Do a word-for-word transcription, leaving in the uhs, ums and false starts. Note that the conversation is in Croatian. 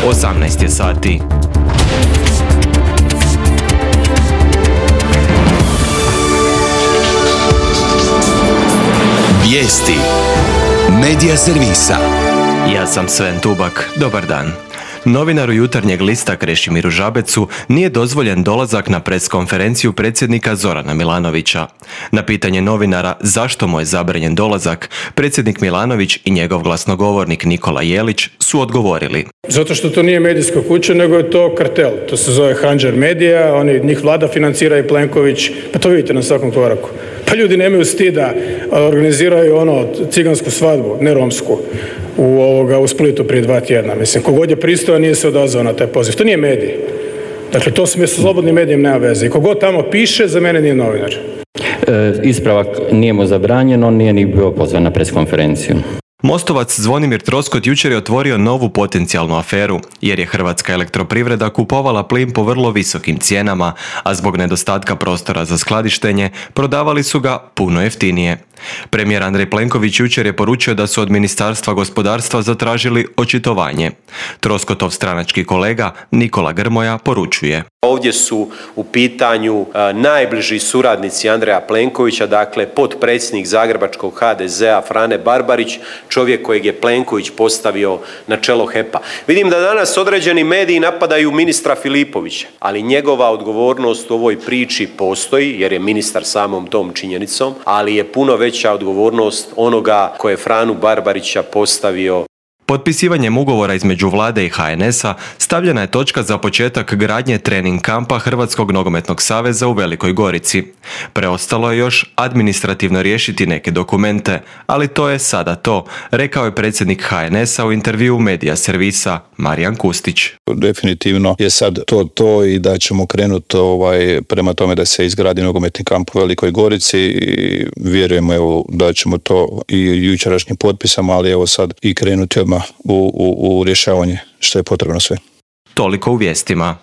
osamnaest je sati. Vijesti Medija servisa. Ja sam Sven Tubak. Dobar dan. Novinaru Jutarnjeg lista Krešimiru Žabecu nije dozvoljen dolazak na preskonferenciju predsjednika Zorana Milanovića. Na pitanje novinara zašto mu je zabranjen dolazak, predsjednik Milanović i njegov glasnogovornik Nikola Jelić su odgovorili. Zato što to nije medijska kuća, nego je to kartel. To se zove Handžar Medija, oni, njih vlada financira i Plenković, pa to vidite na svakom koraku. Pa ljudi nemaju stida, organiziraju ono cigansku svadbu, ne romsku, u, ovoga, u Splitu prije dva tjedna. Mislim, kogod je pristojan nije se odazvao na taj poziv. To nije medij. Dakle, to s slobodnim medijem nema veze. I kogod tamo piše, za mene nije novinar. E, ispravak, nije mu zabranjeno, nije ni bio pozvan na preskonferenciju. Mostovac Zvonimir Troskot jučer je otvorio novu potencijalnu aferu, jer je Hrvatska elektroprivreda kupovala plin po vrlo visokim cijenama, a zbog nedostatka prostora za skladištenje prodavali su ga puno jeftinije. Premijer Andrej Plenković jučer je poručio da su od Ministarstva gospodarstva zatražili očitovanje. Troskotov stranački kolega Nikola Grmoja poručuje. Ovdje su u pitanju a, najbliži suradnici Andreja Plenkovića, dakle potpredsjednik zagrebačkog ha de zea Frane Barbarić, čovjek kojeg je Plenković postavio na čelo he pa. Vidim da danas određeni mediji napadaju ministra Filipovića, ali njegova odgovornost u ovoj priči postoji, jer je ministar samom tom činjenicom, ali je puno veća odgovornost onoga koje je Franu Barbarića postavio. Potpisivanjem ugovora između vlade i ha en es a stavljena je točka za početak gradnje trening kampa Hrvatskog nogometnog saveza u Velikoj Gorici. Preostalo je još administrativno riješiti neke dokumente, ali to je sada to, rekao je predsjednik ha en es a u intervjuu Medija servisa Marijan Kustić. Definitivno je sad to to i da ćemo krenuti ovaj, prema tome da se izgradi nogometni kamp u Velikoj Gorici i vjerujemo evo, da ćemo to i jučerašnjim potpisama, ali evo sad i krenuti odmah U, u, u rješavanje što je potrebno sve. Toliko u vijestima.